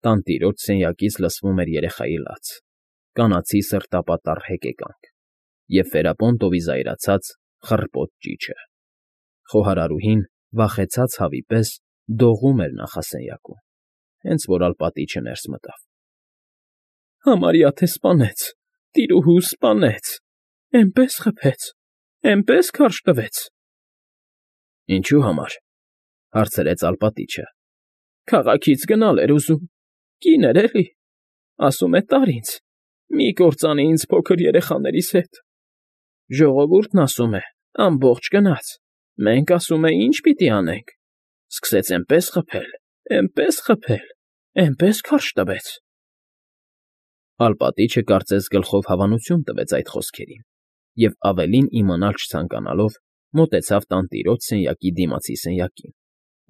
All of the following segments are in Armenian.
Տանտիրոջ սենյակից լսվում էր երեխայի լաց, կանացի սրտապատառ հեկեկանք և Ֆերապոնտովի զայրացած խռպոտ ճիչը։ Խոհարարուհին, վախեցած հավի պես, դողում էր նախասենյակում, հենց որ Ալպատիչը ներս մտավ։ ֊ Համարյա թե սպանեց, տիրուհու սպանեց, էնպես խփեց, էնպես քարշ տվեց։ ֊ Ինչու համար,֊ հարցրեց Ալպատիչը։ ֊ Քաղաքից գնալ էր ուզում, կին էր էլի, ասում է տար ինձ, մի կործանի ինձ փոքր երեխաներիս հետ։ Ժողովուրդն ասում է, ամբողջ գնաց, մենք ասում է ինչ պիտի անենք, սկսեց էնպես խփել, էնպես քարշ տվեց։ Ալպատիչը կարծես գլխով հավանություն տվեց այդ խոսքերին և ավելին իմանալ չցանկանալով մոտեցավ տանտիրոջ սենյակի դիմացի սենյակին,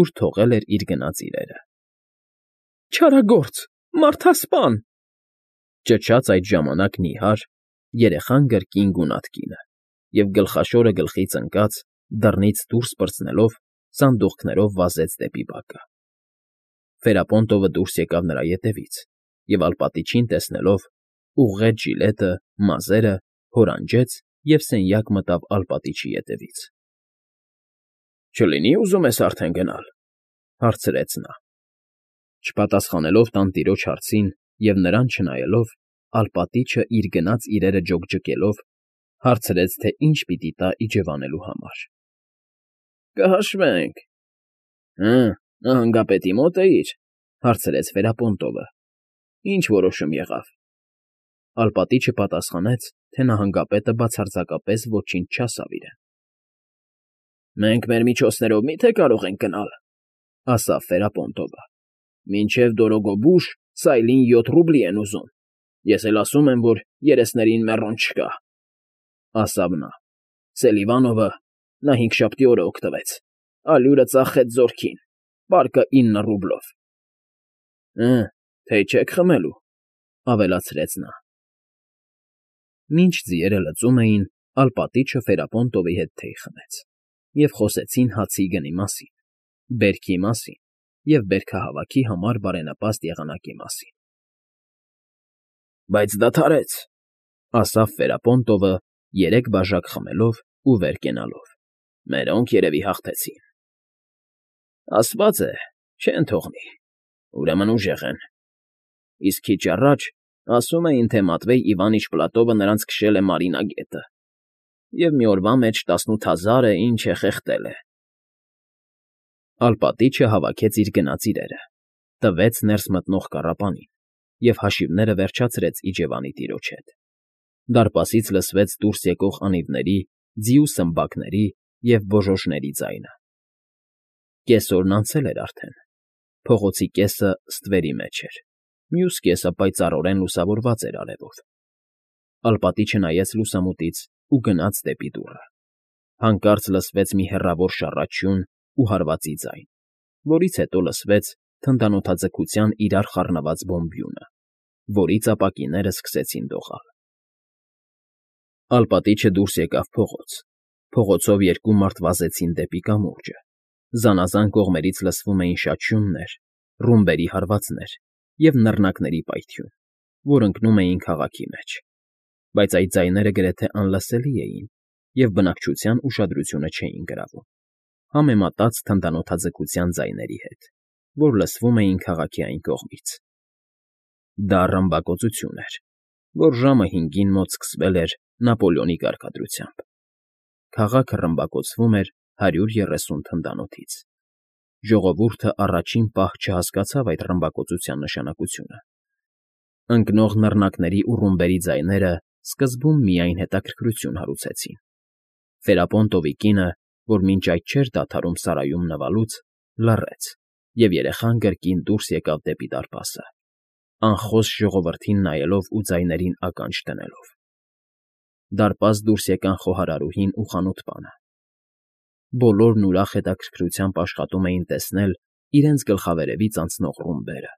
ուր թողել էր իր գնած իրերը։ ֊ Չարագործ, մարդասպան,֊ ճչաց այդ ժամանակ նիհար, երեխան կրկին գունատ կինը և գլխաշորը գլխից ընկած, դռնից դուրս պրծնելով, սանդուղքներով վազեց դեպի բակը։ Ֆերապոնտովը դուրս եկավ նրա ետևից և Ալպատիչին տեսնելով, ուղղեց ժիլետը, մազերը, հորանջեց և սենյակ մտավ Ալպատիչի ետևից։ ֊ Չլինի՞ ուզում ես արդեն գնալ,֊ հարցրեց նա։ Չպատասխանելով տանտիրոջ հարցին և նրան չնայելով, Ալպատիչը իր գնած իրերը ջոկջկելով, հարցրեց, թե ինչ պիտի տա իջևանելու համար։ ֊ Կհաշվենք։ ֊ Հը, նահանգապետի մոտ էիր,֊ հարցրեց Ֆերապոնտովը։ ֊ Ինչ որոշում եղավ։ Ալպատիչը պատասխանեց, թե նահանգապետը բացարձակապես ոչինչ չասավ իրեն։ ֊ Մենք մեր միջոցներով մի՞թե կարող ենք գնալ,֊ ասաց Ֆերապոնտովը։ Մինչև Դորոգոբուշ սայլին 7 ռուբլի են ուզում, ես էլ ասում եմ, որ երեսներին մեռոն չկա,֊ ասավ նա։ Սելիվանովը, նա հինգշաբթի օրը օգտվեց, ալյուրը ծախեց զորքին, պարկը 9 ռուբլով։ ֊ Հը, թեյ չեք խմելու,֊ ավելացրեց նա։ Մինչ ձիերը լծում էին, Ալպատիչը Ֆերապոնտովի հետ թեյ խմեց և խոսեցին հացի գնի մասին, բերքի մասին և բերքահավաքի համար բարենպաստ եղանակի մասին։ ֊ Բայց դադարեց,֊ ասաց Ֆերապոնտովը, 3 բաժակ խմելով ու վեր կենալով։֊ Մերոնք երևի հաղթեցին։ ֊ Ասված է, չեն թողնի, ուրեմն ուժեղ են։ Իսկ քիչ առաջ ասում էին, թե Մատվեյ Իվանիչ Պլատովը նրանց քշել է Մարինա գետը և մի օրվա մեջ 18,000 ինչ է խեղդել է։ Ալպատիչը հավաքեց իր գնած իրերը, տվեց ներս մտնող կառապանին և հաշիվները վերջացրեց իջևանի տիրոջ հետ։ Դարպասից լսվեց դուրս եկող անիվների, ձիու սմբակների և բոժոժների ձայնը։ Կեսօրն անցել էր արդեն, փողոցի կեսը ստվերի մեջ էր, մյուս կեսը պայծառորեն լուսավորված էր արևով։ Ալպատիչը նայեց լուսամուտից ու գնաց դեպի դուռը։ Հանկարծ լսվեց մի հեռավոր շառաչյուն ու հարվածի ձայն, որից հետո լսվեց թնդանոթաձգության իրար խառնված բոմբյունը, որից ապակիներն սկսեցին դողալ։ Ալպատիչը դուրս եկավ փողոց։ Փողոցով 2 մարդ վազեցին դեպի կամուրջը։ Զանազան կողմերից լսվում էին շաչյուններ, ռումբերի հարվածներ և նռնակների պայթյուն, որ ընկնում էին քաղաքի մեջ, բայց այդ ձայները գրեթե անլսելի էին և բնակչության ուշադրությունը չէին գրավում, համեմատած թնդանոթաձգության ձայների հետ, որ լսվում էին քաղաքի այն կողմից։ Դա ռմբակոծություն էր, որ ժամը 5-ին մոտ սկսվել էր Նապոլեոնի կարգադրությամբ։ Քաղաքը ռմբակոծվում էր 130 թնդանոթից։ Ժողովուրդը առաջին պահ չհասկացավ այդ ռմբակոծության նշանակությունը։ Ընկնող նռնակների ու ռումբերի ձայները սկզբում միայն հետաքրքրություն հարուցեցին։ Ֆերապոնտովի կինը, որ մինչ այդ չէր դադարում սարայում նվալուց, լռեց, և երեխան կրկին դուրս եկավ դեպի դարպասը, անխոս ժողովրդին նայելով ու ձայներին ականջ դնելով։ Դարպաս դուրս եկան խոհարարուհին ու խանութպանը։ Բոլորն ուրախ հետաքրքրությամբ աշխատում էին տեսնել իրենց գլխավերևից անցնող ռումբերը։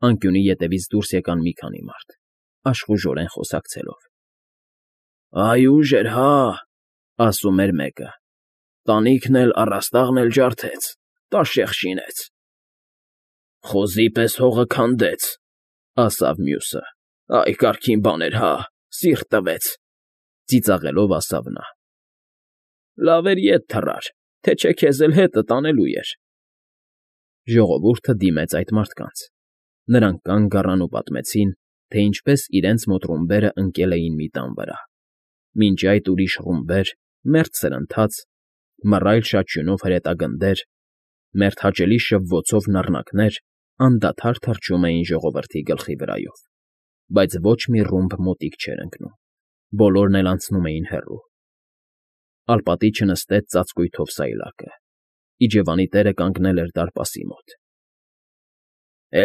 Անկյունի ետևից դուրս եկան մի քանի մարդ, աշխուժորեն խոսակցելով։ ֊ Այ ուժ էր, հա,֊ ասում էր մեկը,֊ տանիքն էլ, առաստաղն էլ ջարդեց, տաշեղ շինեց։ Խոզի պես հողը քանդեց, ասավ մյուսը։ Այ կարգին բան էր, հա, սիրտ տվեց, ծիծաղելով ասավ նա։ Լավ էր ետ թռար, թե չէ քեզ էլ հետը տանելու էր։ Ժողովուրդը դիմեց այդ մարդկանց։ Նրանք կանգ առան ու պատմեցին, թե ինչպես իրենց մոտ ռումբերը ընկել էին մի տան վրա։ Մինչ այդ ուրիշ ռումբեր, մերթ սրընթաց, մռայլ շաչյունով հրետագնդեր, մերթ հաճելի շվվոցով նռնակներ անդադար թռչում էին ժողովրդի գլխի վրայով, բայց ոչ մի ռումբ մոտիկ չէր ընկնում, բոլորն էլ անցնում էին հեռու։ Ալպատիչը նստեց ծածկույթով սայլակը։ Իջևանի տերը կանգնել էր դարպասի մոտ։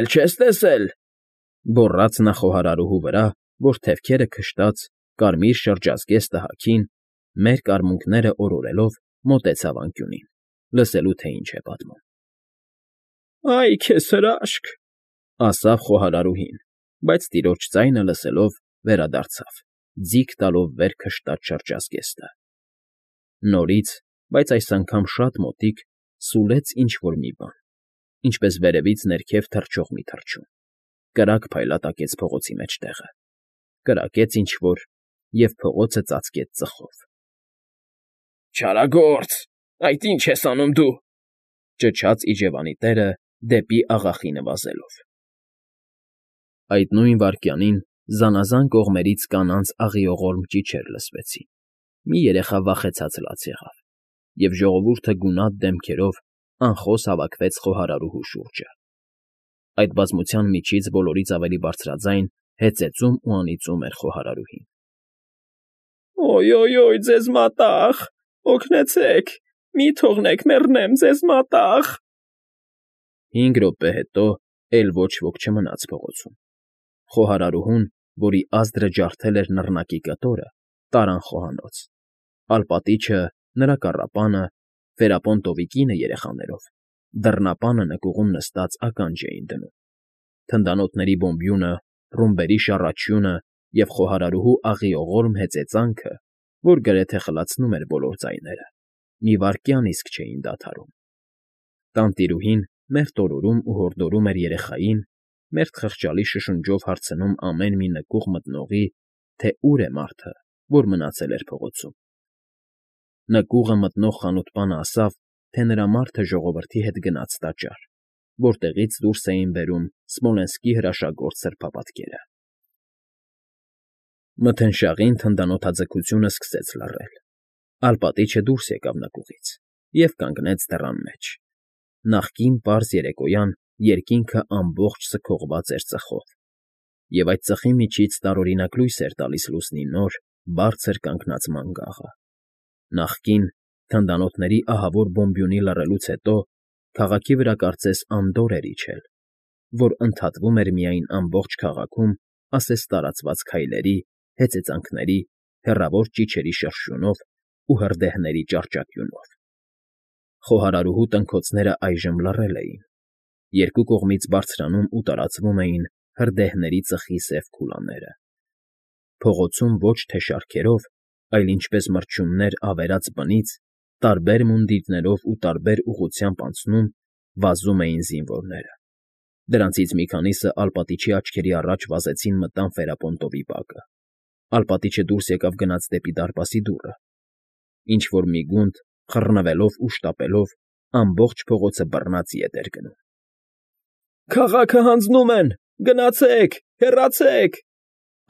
Էլ չես տեսել,֊ գոռաց նա խոհարարուհու վրա, որ թևքերը քշտած, կարմիր շրջազգեստը հագին, մերկ արմունկները օրորելով մոտեցավ անկյունին, լսելու թե ինչ է պատմում։ Այ քեզ հրաշք,֊ ասավ խոհարարուհին, բայց տիրոջ ձայնը լսելով վերադարձավ, ձիգ տալով վեր քշտած շրջազգեստը։ Նորից, բայց այս անգամ շատ մոտիկ, սուլեց ինչ֊որ մի բան, ինչպես վերևից ներքև թռչող մի թռչուն, կրակ փայլատակեց փողոցի մեջտեղը, կրակեց ինչ֊որ և փողոցը ծածկեց ծխով։ Չարագործ, այդ ի՞նչ ես անում դու,֊ ճչաց իջևանի տերը դեպի աղախինը վազելով։ Այդ նույն վայրկյանին զանազան կողմերից կանանց աղիողորմ ճիչեր լսվեցին։ Մի երեխա վախեցած լաց եղավ, և ժողովուրդը գունատ դեմքերով անխոս հավաքվեց խոհարարուհու շուրջը։ Այդ բազմության միջից բոլորից ավելի բարձրաձայն հեծեծում ու անիծում էր խոհարարուհին։ Օյ, ձեզ մատաղ, օգնեցեք, մի թողնեք մեռնեմ, ձեզ մատաղ։ 5 րոպե հետո էլ ոչ ոք չմնաց փողոցում։ Խոհարարուհուն, որի ազդրը ջարդել էր նռնակի կտորը, տարան խոհանոց։ Ալպատիչը, նրա կառապանը, Ֆերապոնտովի կինը երեխաներով, դռնապանը նկուղում նստած ականջ էին դնում։ Թնդանոթների բոմբյունը, ռումբերի շառաչյունը և խոհարարուհու աղիողորմ հեծեծանքը, որ գրեթե խլացնում էր բոլոր ձայները, մի վայրկյան իսկ չէին դադարում։ Տանտիրուհին մերթ օրորում ու հորդորում էր երեխային, մերթ խղճալի շշունջով հարցնում ամեն մի նկուղ մտնողի, թե ուր է մարդը, որ մնացել էր փողոցում։ Նկուղը մտնող խանութպանը ասավ, թե նրա մարդը ժողովրդի հետ գնաց տաճար, որտեղից դուրս էին բերում Սմոլենսկի հրաշագործ սրբապատկերը։ Մթնշաղին թնդանոթաձգությունը սկսեց լռել։ Ալպատիչը դուրս եկավ նկուղից և կանգնեց դռան մեջ։ Նախկին պարզ երեկոյան երկինքը ամբողջ սքողված էր ծխով, և այդ ծխի միջից տարօրինակ լույս էր տալիս լուսնի նոր, բարձր կանգնած մանգաղը։ Նախկին, թնդանոթների ահավոր բոմբյունի լռելուց հետո քաղաքի վրա կարծես անդորր էր իջել, որ ընդհատվում էր միայն ամբողջ քաղաքում ասես տարածված քայլերի, հեծեծանքների, հեռավոր ճիչերի շրշյունով ու հրդեհների ճառճատյունով։ Խոհարարուհու տնքոցները այժմ լռել էին։ Երկու կողմից բարձրանում ու տարածվում էին հրդեհների ծխի սև քուլաները։ Փողոցում ոչ թե շարքերով, այլ ինչպես մրջյուններ ավերած բնից, տարբեր մունդիրներով ու տարբեր ուղղությամբ անցնում, վազում էին զինվորները։ Դրանցից մի քանիսը Ալպատիչի աչքերի առաջ վազեցին մտան Ֆերապոնտովի բակը։ Ալպատիչը դուրս եկավ գնաց դեպի դարպասի դուռը։ Ինչ-որ մի գունդ, խռնվելով ու շտապելով, ամբողջ փողոցը բռնած ետ էր գնում։ Քաղաքը հանձնում են, գնացեք, հեռացեք,֊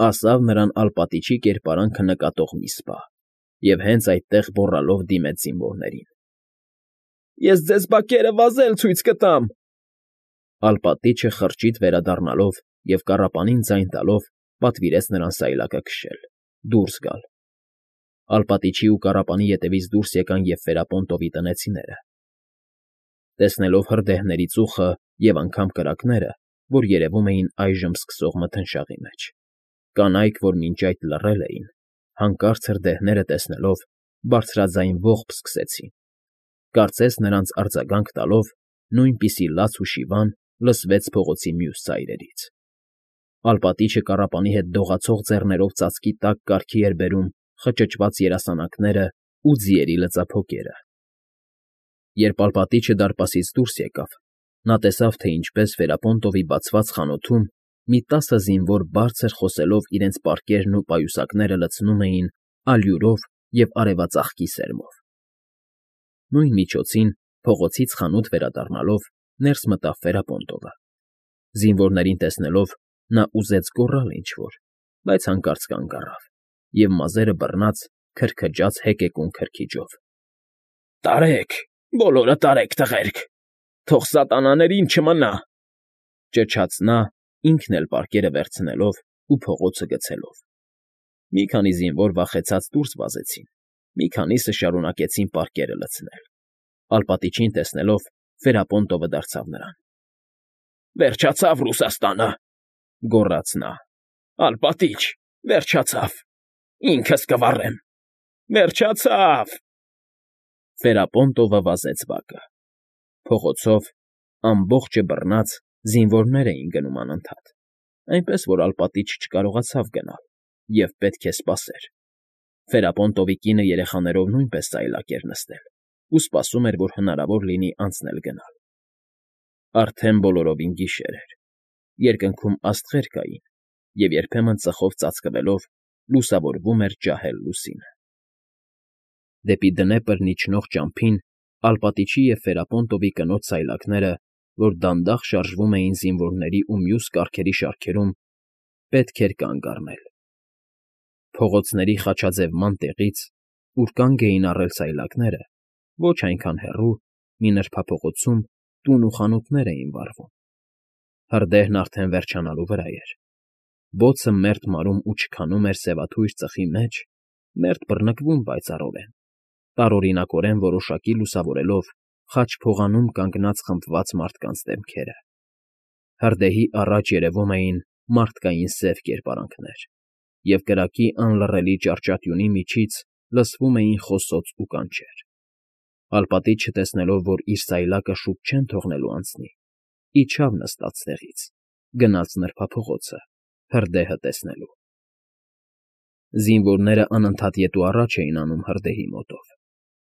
ասավ նրան Ալպատիչի կերպարանքը նկատող մի սպա, և հենց այդտեղ գոռալով դիմեց զինվորներին։ Ես ձեզ բակերը վազել ցույց կտամ։ Ալպատիչը խրճիթ վերադառնալով և կառապանին ձայն տալով պատվիրեց նրան սայլակը քշել, դուրս գալ։ Ալպատիչի ու կառապանի ետևից դուրս եկան և Ֆերապոնտովի տնեցիները։ Տեսնելով հրդեհների ծուխը և անգամ կրակները, որ երևում էին այժմ սկսող մթնշաղի մեջ, կանայք, որ մինչ այդ լռել էին, հանկարծ հրդեհները տեսնելով, բարձրաձայն ողբ սկսեցին։ Կարծես նրանց արձագանք տալով, նույնպիսի լաց ու շիվան լսվեց փողոցի մյուս ծայրերից։ Ալպատիչը կառապանի հետ դողացող ձեռներով ծածկի տակ կարգի էր բերում խճճված երասանակներն ու ձիերի լծափոկերը։ Երբ Ալպատիչը դարպասից դուրս եկավ, Նա տեսավ, թե ինչպես Ֆերապոնտովի բացված խանութում մի 10 զինվոր բարձր խոսելով իրենց պարկերն ու պայուսակները լցնում էին ալյուրով և արևածաղկի սերմով։ Նույն միջոցին, փողոցից խանութ վերադառնալով, ներս մտավ Ֆերապոնտովը։ Զինվորներին տեսնելով, նա ուզեց գոռալ ինչ֊որ, բայց հանկարծ կանգ առավ և մազերը բռնած քրքջաց հեկեկուն քրքիջով։ «Տարեք, բոլորը տարեք, տղերք, թող սատանաներին չմնա,֊ ճչաց նա, ինքն էլ պարկերը վերցնելով ու փողոցը գցելով։ Մի քանի զինվոր վախեցած դուրս վազեցին, մի քանիսը շարունակեցին պարկերը լցնել։ Ալպատիչին տեսնելով, Ֆերապոնտովը դարձավ նրան։ «Վերջացավ Ռուսաստանը,֊ գոռաց նա։֊ Ալպատիչ, վերջացավ, ինքս կվառեմ, վերջացավ…» Ֆերապոնտովը վազեց բակը։ Փողոցով, ամբողջը բռնած, զինվորներ էին գնում անընդհատ, այնպես որ ալպատիչը չկարողացավ գնալ և պետք է սպասեր։ Ֆերապոնտովի կինը երեխաներով նույնպես ծայլակ էր նստել ու սպասում էր, որ հնարավոր լինի անցնել գնալ։ Արդեն բոլորովին գիշեր էր, երկնքում աստղեր կային, և երբեմն ծխով ծածկվելով լուսավորվում էր ջահել լուսինը։ Դեպի դնեպրն իջնող ճամփին ալպատիչի և Ֆերապոնտովի կնոջ սայլակները, որ դանդաղ շարժվում էին զինվորների ու մյուս կառքերի շարքերում, պետք էր կանգ առնել։ Փողոցների խաչաձևման տեղից, ուր կանգ էին առել սայլակները, ոչ այնքան հեռու, մի նրբափողոցում տուն ու խանութներ էին վառվում։ Հրդեհն արդեն վերջանալու վրա էր։ Բոցը մերթ մարում ու չքանում էր սևաթույր ծխի մեջ, մերթ բռնկվում պայծառորեն, տարօրինակորեն որոշակի լուսավորելով խաչ փողանում կանգնած խմբված մարդկանց դեմքերը։ Հրդեհի առաջ երևում էին մարդկային սև կերպարանքներ, և կրակի անլռելի ճառճատյունի միջից լսվում էին խոսոց ու կանչեր։ Ալպատիչը, տեսնելով, որ իր սայլակը շուտ չեն թողնելու անցնի, իջավ նստած տեղից, գնաց նրբափողոցը, հրդեհը տեսնելու։ Զինվորները անընդհատ ետ ու առաջ էին անում հրդեհի մոտով,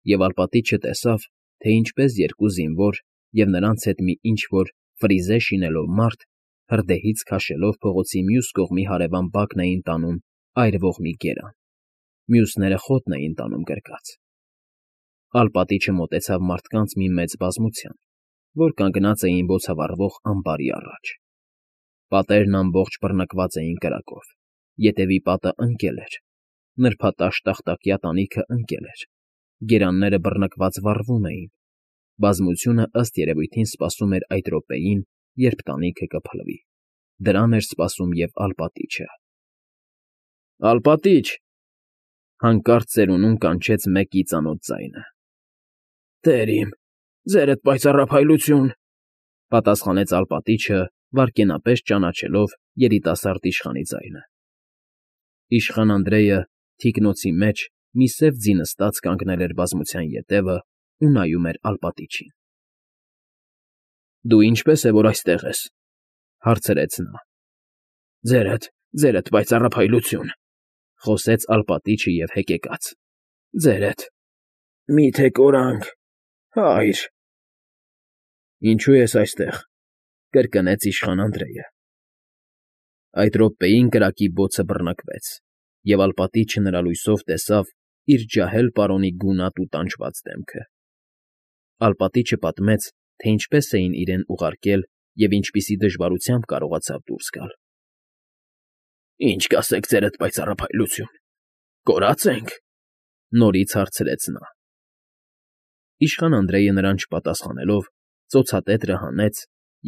և ալպատիչը տեսավ, թե ինչպես երկու զինվոր և նրանց հետ մի ինչ֊որ ֆրիզե շինելով մարդ, հրդեհից քաշելով փողոցի մյուս կողմի հարևան բակն էին տանում այրվող մի գերան, մյուսները խոտն էին տանում գրկած։ Ալպատիչը մոտեցավ մարդկանց մի մեծ բազմության, որ կանգնած էին բոցավառվող ամբարի առաջ։ Պատերն ամբողջ բռնկված էին կրակով, ետևի պատը ընկել էր, նրբատաշ տախտակյա տանիքը ընկել էր, գերանները բռնկված վառվում էին։ Բազմությունը ըստ երևույթին սպասում էր այդ րոպեին, երբ տանիքը կփլվի։ Դրան էր սպասում և ալպատիչը։ «Ալպատիչ,֊ հանկարծ ծերունուն կանչեց մեկի ծանոթ ձայնը։ «Տեր իմ, ձերդ պայծառափայլություն,֊ պատասխանեց ալպատիչը, վայրկենապես ճանաչելով երիտասարդ իշխանի ձայնը։ Իշխան Անդրեյը թիկնոցի մեջ մի սև ձի նստած կանգնել էր բազմության ետևը ու նայում էր ալպատիչին։ «Դու ինչպե՞ս է, որ այստեղ ես,֊ հարցրեց նա։ Ձերդ, պայծառափայլություն,֊ խոսեց ալպատիչը և հեկեկաց,֊ ձերդ… Մի՞թե կորանք, հայր…» «Ինչո՞ւ ես այստեղ,֊ կրկնեց իշխան Անդրեյը։ Այդ րոպեին կրակի բոցը բռնկվեց, և ալպատիչը նրա լույսով տեսավ իր ջահել պարոնի գունատ ու տանջված դեմքը։ Ալպատիչը պատմեց, թե ինչպես էին իրեն ուղարկել և ինչպիսի դժվարությամբ կարողացավ դուրս գալ։ «Ինչ կասեք, ձերդ պայծառափայլություն, կորա՞ծ ենք,֊ նորից հարցրեց նա։ Իշխան Անդրեյը նրան չպատասխանելով, ծոցատետրը հանեց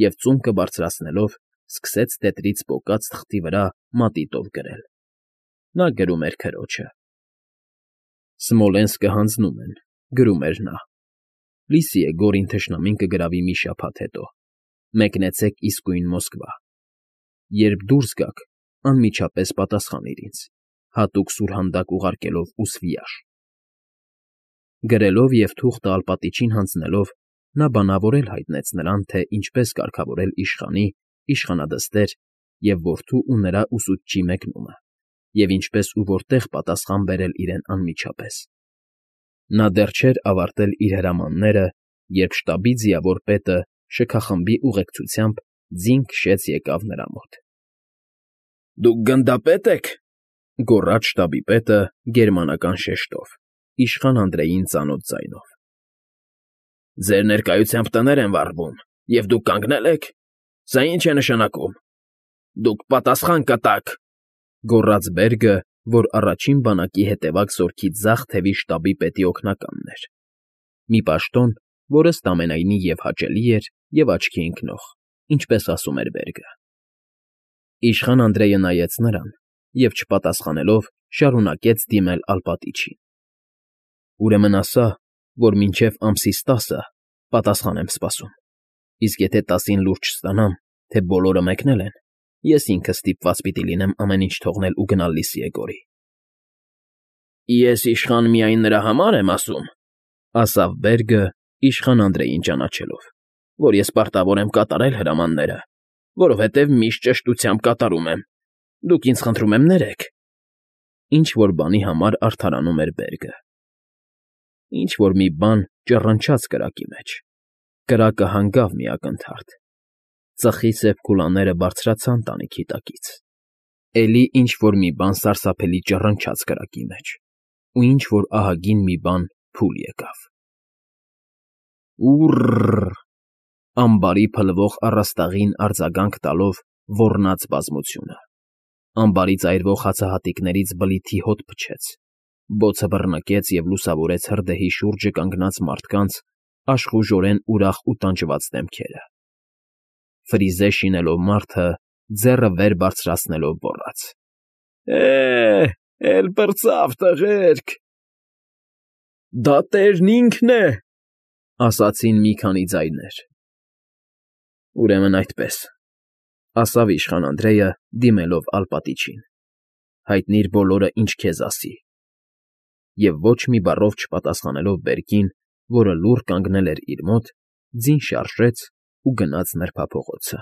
և ծունկը բարձրացնելով սկսեց տետրից պոկած թղթի վրա մատիտով գրել։ Նա գրում էր քրոջը. «Սմոլենսկը հանձնում են,֊ գրում էր նա,֊ լիսի է Գորին թշնամին կգրավի մի շաբաթ հետո։ Մեկնեցեք իսկույն Մոսկվա։ Երբ դուրս գաք, անմիջապես պատասխանիր ինձ, հատուկ սուրհանդակ ուղարկելով ու Սվիաշ»։ Գրելով և թուղթը ալպատիչին հանձնելով, նա բանավոր հայտնեց նրան, թե ինչպես կարգավորել իշխանի, իշխանադստեր և որդու ու նրա ուսուցչի մեկնումը, և ինչպես ու որտեղ պատասխան բերել իրեն անմիջապես։ Նա դեռ չէր ավարտել իր հրամանները, երբ շտաբի ձիավոր պետը շքախմբի ուղեկցությամբ ձին քշեց եկավ նրա մոտ։ ֊ Դուք գնդապե՞տ եք,֊ գոռաց շտաբի պետը գերմանական շեշտով, իշխան Անդրեյին ծանոթ ձայնով։ ֊ Ձեր ներկայությամբ տներ են վառվում, և դուք կանգնե՞լ եք։ Սա ի՞նչ է նշանակում։ Դուք պատասխան կտաք,֊ գոռաց Բերգը, որ առաջին բանակի հետևակ զորքի ձախ թևի շտաբի պետի օգնականն էր, մի պաշտոն, որ ըստ ամենայնի և՛ հաճելի էր, և՛ աչքի ընկնող, ինչպես ասում էր Բերգը։ Իշխան Անդրեյը նայեց նրան և, չպատասխանելով, շարունակեց դիմել Ալպատիչին։ ֊ Ուրեմն ասա, որ մինչև ամսից 10-ը պատասխան եմ սպասում, իսկ եթե 10-ին լուրջ չստանամ, թե բոլորը մեկնել են, ես ինքս ստիպված պիտի լինեմ ամեն ինչ թողնել ու գնալ Լիսիեգորի։ ֊ Ես իշխան միայն նրա համար եմ ասում,֊ ասավ Բերգը, իշխան Անդրեյին ճանաչելով,֊ որ ես պարտավոր եմ կատարել հրամանները, որովհետև միշտ ճշտությամբ կատարում եմ։ Դուք ինձ, խնդրում եմ, ներեք։ Ինչ֊որ բանի համար արդարանում էր Բերգը։ Ինչ֊որ մի բան ճռնչաց կրակի մեջ։ Կրակը հանգավ մի ակնթարթ։ Ծխի սև քուլաները բարձրացան տանիքի տակից։ Էլի ինչ֊որ մի բան սարսափելի ճռնչաց կրակի մեջ, ու ինչ֊որ ահագին մի բան փուլ եկավ։ Ուռռ… Ամբարի փլվող առաստաղին արձագանք տալով ոռնաց բազմությունը։ Ամբարից այրվող հացահատիկներից բլիթի հոտ փչեց, բոցը բռնկեց և լուսավորեց հրդեհի շուրջը կանգնած մարդկանց աշխուժորեն ուրախ ու տանջված դեմքերը։ Ֆրիզե շինելով մարդը, ձեռը վեր բարձրացնելով գոռաց. «Է՜, էլ պրծավ, տղերք»։ «Դա տերն ինքն է», ասացին մի քանի ձայներ։ «Ուրեմն այդպես,֊ ասավ իշխան Անդրեյը, դիմելով Ալպատիչին,֊ հայտնիր բոլորը, ինչ քեզ ասի»։ Եվ ոչ մի բառով չպատասխանելով Բերկին, որը լուռ կանգնել էր իր մոտ, ձին շարժեց ու գնաց նրբափողոցը։